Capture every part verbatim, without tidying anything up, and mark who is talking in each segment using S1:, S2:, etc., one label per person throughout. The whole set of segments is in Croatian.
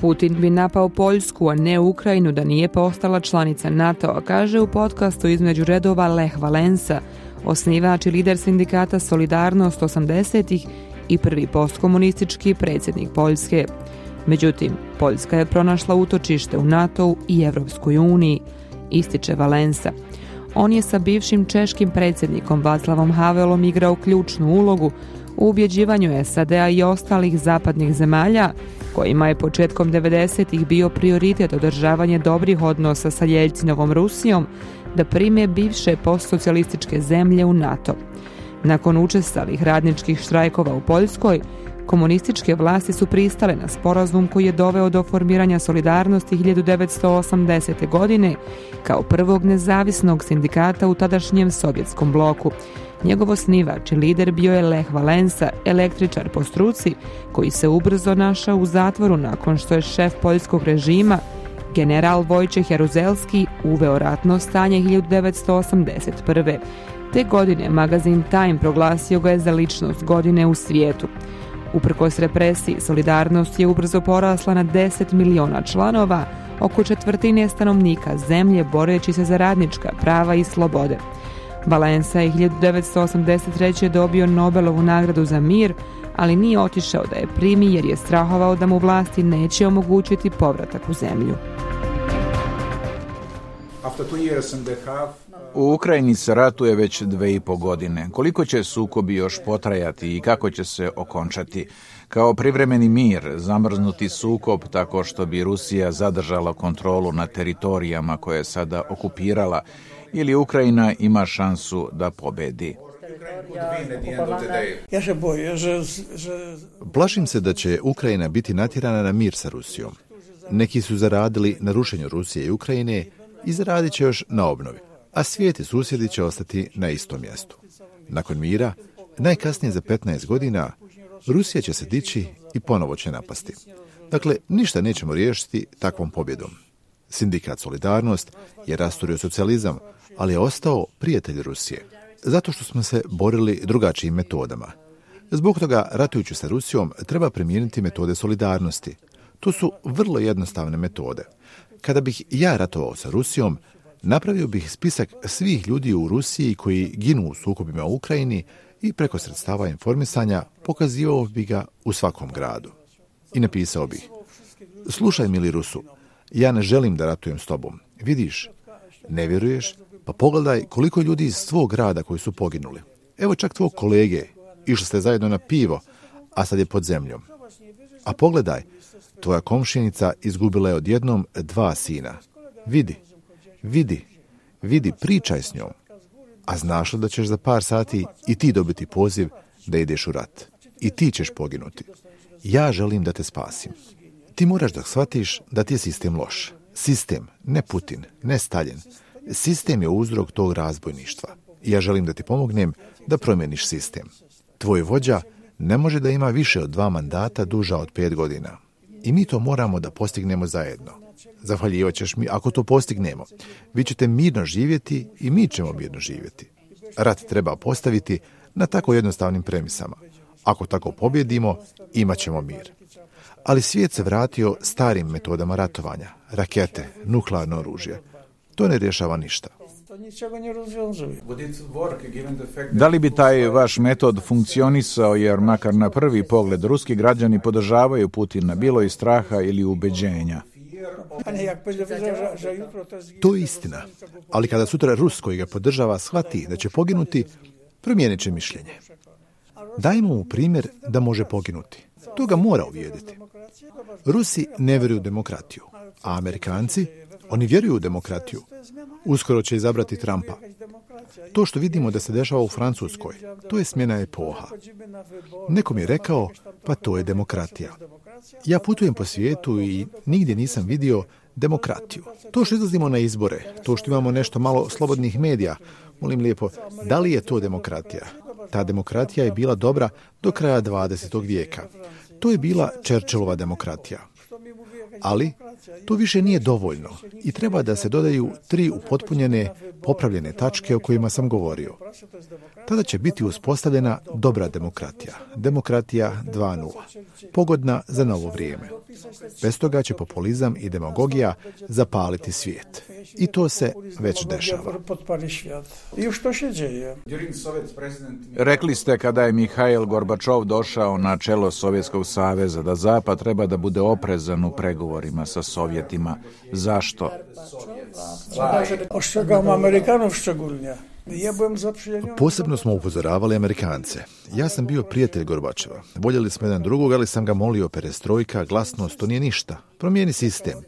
S1: Putin bi napao Poljsku, a ne Ukrajinu da nije postala članica NATO-a, kaže u podcastu između redova Lech Valensa, osnivač i lider sindikata Solidarnost osamdesetih i prvi postkomunistički predsjednik Poljske. Međutim, Poljska je pronašla utočište u NATO-u i Evropskoj uniji, ističe Valensa. On je sa bivšim češkim predsjednikom Václavom Havelom igrao ključnu ulogu u ubjeđivanju S A D-a i ostalih zapadnih zemalja, kojima je početkom devedesetih bio prioritet održavanje dobrih odnosa sa Jeljcinovom Rusijom, da prime bivše postsocijalističke zemlje u NATO. Nakon učestalih radničkih štrajkova u Poljskoj, komunističke vlasti su pristale na sporazum koji je doveo do formiranja Solidarnosti hiljadu devetsto osamdesete. godine kao prvog nezavisnog sindikata u tadašnjem sovjetskom bloku. Njegov osnivač i lider bio je Lech Valensa, električar po struci, koji se ubrzo našao u zatvoru nakon što je šef poljskog režima, general Wojciech Jaruzelski, uveo ratno stanje hiljadu devetsto osamdeset prve. Te godine magazin Time proglasio ga je za ličnost godine u svijetu. Uprkos represiji, Solidarnost je ubrzo porasla na deset miliona članova, oko četvrtine stanovnika zemlje boreći se za radnička prava i slobode. Valensa je hiljadu devetsto osamdeset treće. dobio Nobelovu nagradu za mir, ali nije otišao da je primi jer je strahovao da mu vlasti neće omogućiti povratak u zemlju.
S2: U Ukrajini se ratuje već dve i po godine. Koliko će sukobi još potrajati i kako će se okončati? Kao privremeni mir, zamrznuti sukob tako što bi Rusija zadržala kontrolu nad teritorijama koje je sada okupirala, ili Ukrajina ima šansu da pobedi?
S3: Plašim se da će Ukrajina biti natjerana na mir sa Rusijom. Neki su zaradili na rušenju Rusije i Ukrajine i zaradit će još na obnovi, a svijet i susjedi će ostati na istom mjestu. Nakon mira, najkasnije za petnaest godina, Rusija će se dići i ponovo će napasti. Dakle, ništa nećemo riješiti takvom pobjedom. Sindikat Solidarnost je rasturio socijalizam, ali je ostao prijatelj Rusije. Zato što smo se borili drugačijim metodama. Zbog toga, ratujući sa Rusijom, treba primijeniti metode solidarnosti. To su vrlo jednostavne metode. Kada bih ja ratovao sa Rusijom, napravio bih spisak svih ljudi u Rusiji koji ginu u sukobima u Ukrajini i preko sredstava informisanja pokazivao bih ga u svakom gradu. I napisao bih: slušaj, mili Rusu, ja ne želim da ratujem s tobom. Vidiš, ne vjeruješ? Pa pogledaj koliko ljudi iz tvog grada koji su poginuli. Evo čak tvog kolege, išli ste zajedno na pivo, a sad je pod zemljom. A pogledaj, tvoja komšinica izgubila je odjednom dva sina. Vidi, vidi, vidi, pričaj s njom. A znaš li da ćeš za par sati i ti dobiti poziv da ideš u rat? I ti ćeš poginuti. Ja želim da te spasim. Ti moraš da shvatiš da ti je sistem loš. Sistem, ne Putin, ne Stalin. Sistem je uzrok tog razbojništva. I ja želim da ti pomognem da promijeniš sistem. Tvoj vođa ne može da ima više od dva mandata duža od pet godina. I mi to moramo da postignemo zajedno. Zahvaljivat ćeš mi ako to postignemo. Vi ćete mirno živjeti i mi ćemo mirno živjeti. Rat treba postaviti na tako jednostavnim premisama. Ako tako pobjedimo, imat ćemo mir. Ali svijet se vratio starim metodama ratovanja. Rakete, nuklearno oružje. To ne rješava ništa.
S2: Da li bi taj vaš metod funkcionisao, jer makar na prvi pogled ruski građani podržavaju Putina, bilo iz straha ili ubeđenja?
S3: To je istina. Ali kada sutra Rus koji ga podržava shvati da će poginuti, promijenit će mišljenje. Dajmo mu primjer da može poginuti. To ga mora uvjeriti. Rusi ne vjeruju u demokratiju, a Amerikanci, oni vjeruju u demokratiju. Uskoro će izabrati Trumpa. To što vidimo da se dešava u Francuskoj, to je smjena epoha. Neko mi je rekao, pa to je demokratija. Ja putujem po svijetu i nigdje nisam vidio demokratiju. To što izlazimo na izbore, to što imamo nešto malo slobodnih medija, molim lijepo, da li je to demokratija? Ta demokratija je bila dobra do kraja dvadesetog vijeka. To je bila Churchillova demokratija. Ali To više nije dovoljno i treba da se dodaju tri upotpunjene, popravljene tačke o kojima sam govorio. Tada će biti uspostavljena dobra demokratija, demokratija dva nula, pogodna za novo vrijeme. Bez toga će populizam i demagogija zapaliti svijet. I to se već dešava.
S2: Rekli ste kada je Mihail Gorbačov došao na čelo Sovjetskog saveza da Zapad treba da bude oprezan u pregovorima sa Sovjetima. Zašto?
S3: Posebno smo upozoravali Amerikance. Ja sam bio prijatelj Gorbačeva. Voljeli smo jedan drugog, ali sam ga molio perestrojka, glasnost, to nije ništa. Promijeni sistem.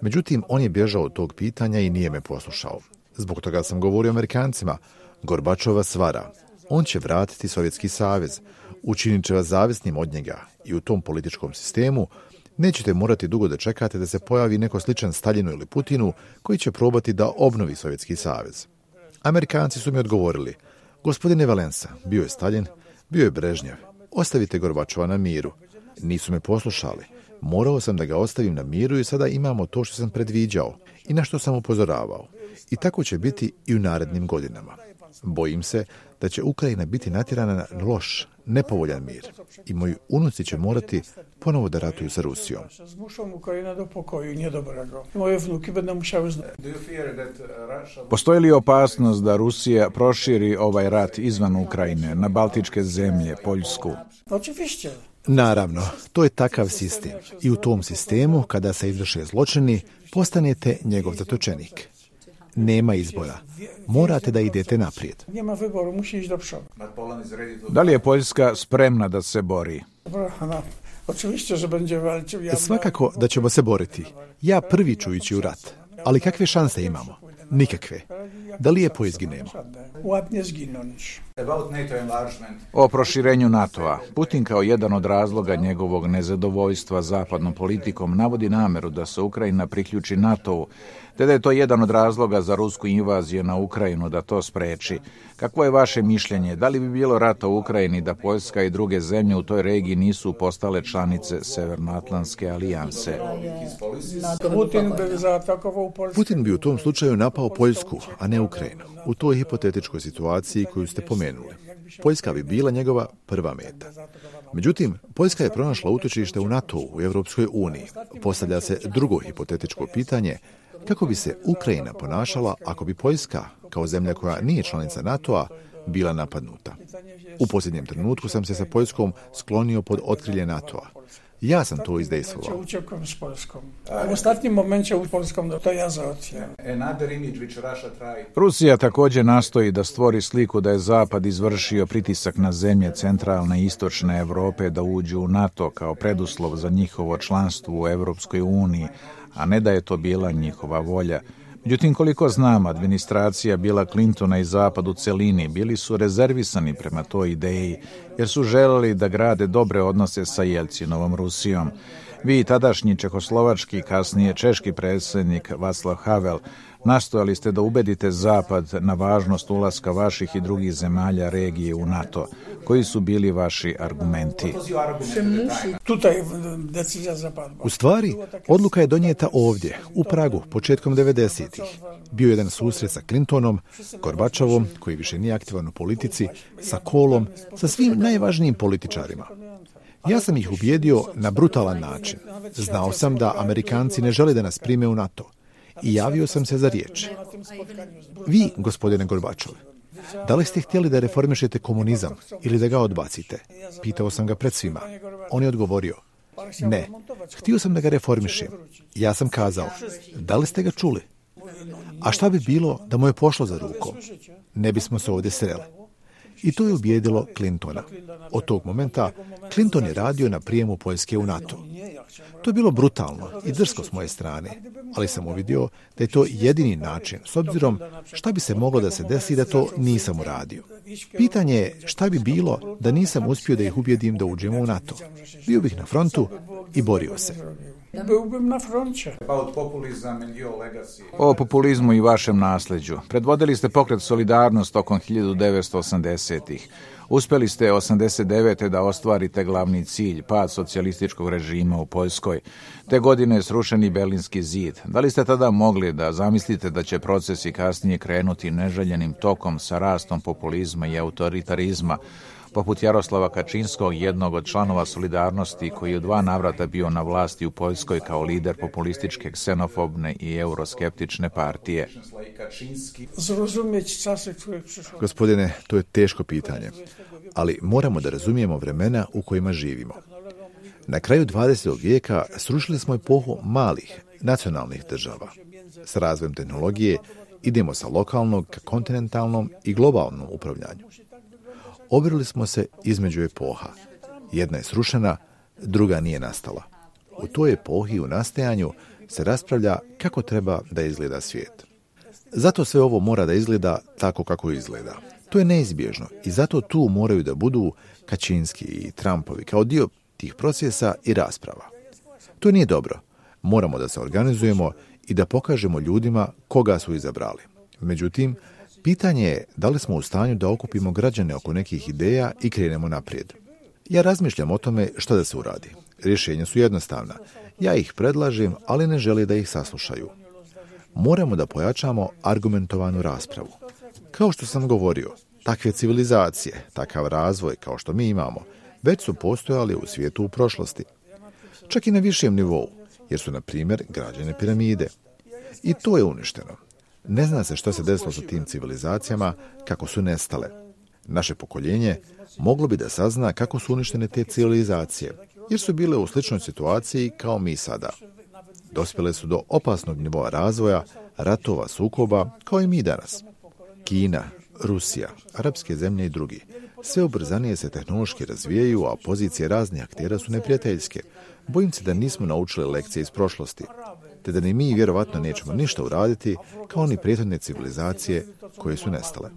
S3: Međutim, on je bježao od tog pitanja i nije me poslušao. Zbog toga sam govorio Amerikancima. Gorbačova svara. On će vratiti Sovjetski savez. Učinit će vas zavisnim od njega. I u tom političkom sistemu nećete morati dugo da čekate da se pojavi neko sličan Staljinu ili Putinu koji će probati da obnovi Sovjetski savez. Amerikanci su mi odgovorili, gospodine Valensa, bio je Staljin, bio je Brežnjev, ostavite Gorbačova na miru. Nisu me poslušali. Morao sam da ga ostavim na miru i sada imamo to što sam predviđao i na što sam upozoravao. I tako će biti i u narednim godinama. Bojim se da će Ukrajina biti natjerana na loš, nepovoljan mir i moji unuci će morati ponovo da ratuju sa Rusijom.
S2: Postoji li opasnost da Rusija proširi ovaj rat izvan Ukrajine, na Baltičke zemlje, Poljsku?
S3: Naravno, to je takav sistem. I u tom sistemu, kada se izvrše zločini, postanete njegov zatočenik. Nema izbora. Morate da idete naprijed.
S2: Da li je Poljska spremna da se bori?
S3: Svakako da ćemo se boriti. Ja prvi ću ići u rat. Ali kakve šanse imamo? Nikakve. Da lijepo izginemo.
S2: O proširenju NATO-a. Putin kao jedan od razloga njegovog nezadovoljstva zapadnom politikom navodi nameru da se Ukrajina priključi NATO-u, te da je to jedan od razloga za rusku invaziju na Ukrajinu da to spreči. Kakvo je vaše mišljenje? Da li bi bilo rata u Ukrajini da Poljska i druge zemlje u toj regiji nisu postale članice Severnoatlantske alijanse?
S3: Putin bi u tom slučaju napao Poljsku, a ne Ukrajinu. U toj hipotetičkoj situaciji koju ste pomenuli. Poljska bi bila njegova prva meta. Međutim, Poljska je pronašla utočište u NATO-u, u Europskoj uniji. Postavlja se drugo hipotetičko pitanje, kako bi se Ukrajina ponašala ako bi Poljska, kao zemlja koja nije članica NATO-a, bila napadnuta. U posljednjem trenutku sam se sa Poljskom sklonio pod otkrilje NATO-a. Ja sam to izdejstvovao.
S4: U ostatnim momentu u Poljskom to ja zaotio.
S2: Rusija također nastoji da stvori sliku da je Zapad izvršio pritisak na zemlje centralne i istočne Europe da uđu u NATO kao preduslov za njihovo članstvo u Europskoj uniji, a ne da je to bila njihova volja. Međutim, koliko znam, administracija Billa Clintona i Zapad u celini bili su rezervisani prema toj ideji, jer su želeli da grade dobre odnose sa Jelcinovom Rusijom. Vi, tadašnji čehoslovački, kasnije češki predsjednik Václav Havel, nastojali ste da ubedite Zapad na važnost ulaska vaših i drugih zemalja regije u NATO. Koji su bili vaši argumenti?
S3: U stvari, odluka je donijeta ovdje, u Pragu, početkom devedesetih. Bio jedan susret sa Clintonom, Gorbačovom, koji više nije aktivan u politici, sa Kohlom, sa svim najvažnijim političarima. Ja sam ih ubijedio na brutalan način. Znao sam da Amerikanci ne žele da nas prime u NATO. I javio sam se za riječ. Vi, gospodine Gorbačov, da li ste htjeli da reformišete komunizam ili da ga odbacite? Pitao sam ga pred svima. On je odgovorio, ne, htio sam da ga reformišem. Ja sam kazao, da li ste ga čuli? A šta bi bilo da mu je pošlo za rukom? Ne bismo se ovdje sreli. I to je ubijedilo Clintona. Od tog momenta Clinton je radio na prijemu Poljske u NATO. To je bilo brutalno i drsko s moje strane, ali sam uvidio da je to jedini način, s obzirom šta bi se moglo da se desi da to nisam uradio. Pitanje je šta bi bilo da nisam uspio da ih ubijedim da uđemo u NATO. Bio bih na frontu i borio se.
S2: O populizmu i vašem nasljeđu. Predvodili ste pokret Solidarnost tokom hiljadu devetsto osamdesetih. Uspjeli ste osamdeset devete da ostvarite glavni cilj, pad socijalističkog režima u Poljskoj. Te godine je srušeni Berlinski zid. Da li ste tada mogli da zamislite da će procesi kasnije krenuti neželjenim tokom sa rastom populizma i autoritarizma, poput Jaroslava Kačinskog, jednog od članova Solidarnosti, koji je u dva navrata bio na vlasti u Poljskoj kao lider populističke, ksenofobne i euroskeptične partije?
S3: Gospodine, to je teško pitanje, ali moramo da razumijemo vremena u kojima živimo. Na kraju dvadesetog vijeka srušili smo epohu malih, nacionalnih država. S razvojem tehnologije idemo sa lokalnog ka kontinentalnom i globalnom upravljanju. Obrili smo se između epoha. Jedna je srušena, druga nije nastala. U toj epohi u nastajanju se raspravlja kako treba da izgleda svijet. Zato sve ovo mora da izgleda tako kako izgleda. To je neizbježno i zato tu moraju da budu Kačinski i Trumpovi kao dio tih procesa i rasprava. To nije dobro. Moramo da se organizujemo i da pokažemo ljudima koga su izabrali. Međutim, pitanje je da li smo u stanju da okupimo građane oko nekih ideja i krenemo naprijed. Ja razmišljam o tome što da se uradi. Rješenja su jednostavna. Ja ih predlažem, ali ne žele da ih saslušaju. Moramo da pojačamo argumentovanu raspravu. Kao što sam govorio, takve civilizacije, takav razvoj kao što mi imamo, već su postojali u svijetu u prošlosti. Čak i na višem nivou, jer su, na primjer, građene piramide. I to je uništeno. Ne zna se što se desilo sa tim civilizacijama, kako su nestale. Naše pokoljenje moglo bi da sazna kako su uništene te civilizacije, jer su bile u sličnoj situaciji kao mi sada. Dospjele su do opasnog nivoa razvoja, ratova, sukoba, kao i mi danas. Kina, Rusija, arapske zemlje i drugi. Sve ubrzanije se tehnološki razvijaju, a pozicije raznih aktera su neprijateljske. Bojim se da nismo naučili lekcije iz prošlosti, te da ni mi vjerovatno nećemo ništa uraditi kao ni prethodne civilizacije koje su nestale.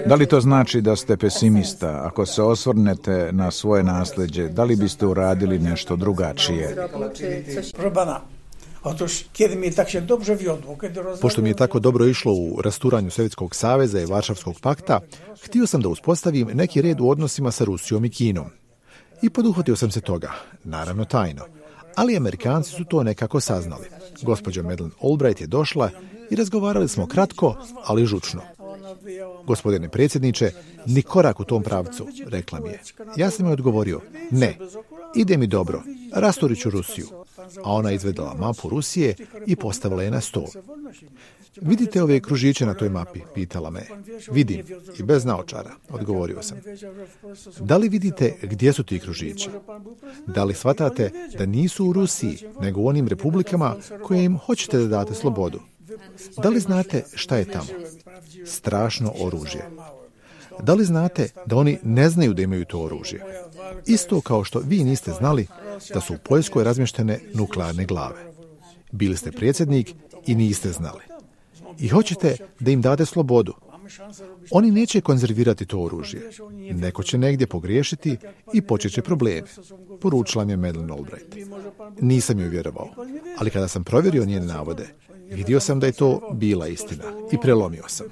S2: Da li to znači da ste pesimista? Ako se osvrnete na svoje nasljeđe, da li biste uradili nešto drugačije?
S3: Pošto mi je tako dobro išlo u rasturanju Sovjetskog saveza i Varšavskog pakta, htio sam da uspostavim neki red u odnosima sa Rusijom i Kinom. I poduhvatio sam se toga, naravno tajno. Ali Amerikanci su to nekako saznali. Gospođa Madeleine Albright je došla i razgovarali smo kratko, ali žučno. Gospodine predsjedniče, ni korak u tom pravcu, rekla mi je. Ja sam joj odgovorio, ne, ide mi dobro, rasturit ću Rusiju. A ona izvedala mapu Rusije i postavila je na stol. Vidite ove kružiće na toj mapi, pitala me. Vidim, i bez naočara, odgovorio sam. Da li vidite gdje su ti kružići? Da li shvatate da nisu u Rusiji, nego u onim republikama koje im hoćete da date slobodu? Da li znate šta je tamo? Strašno oružje. Da li znate da oni ne znaju da imaju to oružje? Isto kao što vi niste znali da su u Poljskoj razmještene nuklearne glave. Bili ste predsjednik i niste znali. I hoćete da im date slobodu. Oni neće konzervirati to oružje. Neko će negdje pogriješiti i počet će probleme, poručila mi je Madeleine Albright. Nisam joj vjerovao, ali kada sam provjerio njene navode, vidio sam da je to bila istina i prelomio sam.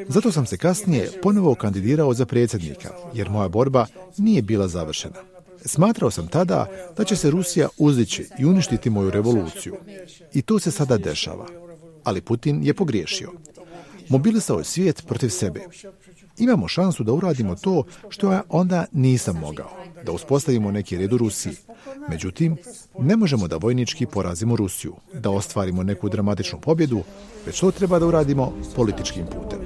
S3: Zato sam se kasnije ponovo kandidirao za predsjednika, jer moja borba nije bila završena. Smatrao sam tada da će se Rusija uzdići i uništiti moju revoluciju. I to se sada dešava. Ali Putin je pogriješio. Mobilisao je svijet protiv sebe. Imamo šansu da uradimo to što ja onda nisam mogao, da uspostavimo neki red u Rusiji. Međutim, ne možemo da vojnički porazimo Rusiju, da ostvarimo neku dramatičnu pobjedu, već to treba da uradimo političkim putem.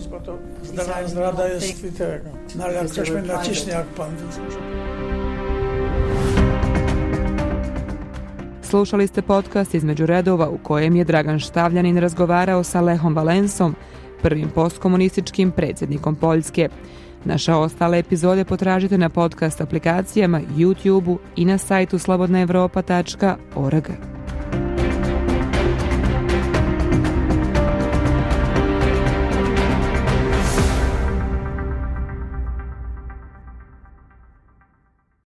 S1: Slušali ste podcast Između redova u kojem je Dragan Štavljanin razgovarao sa Lechom Valensom, prvim postkomunističkim predsjednikom Poljske. Naše ostale epizode potražite na podcast aplikacijama, YouTubeu i na sajtu slobodna evropa tačka org.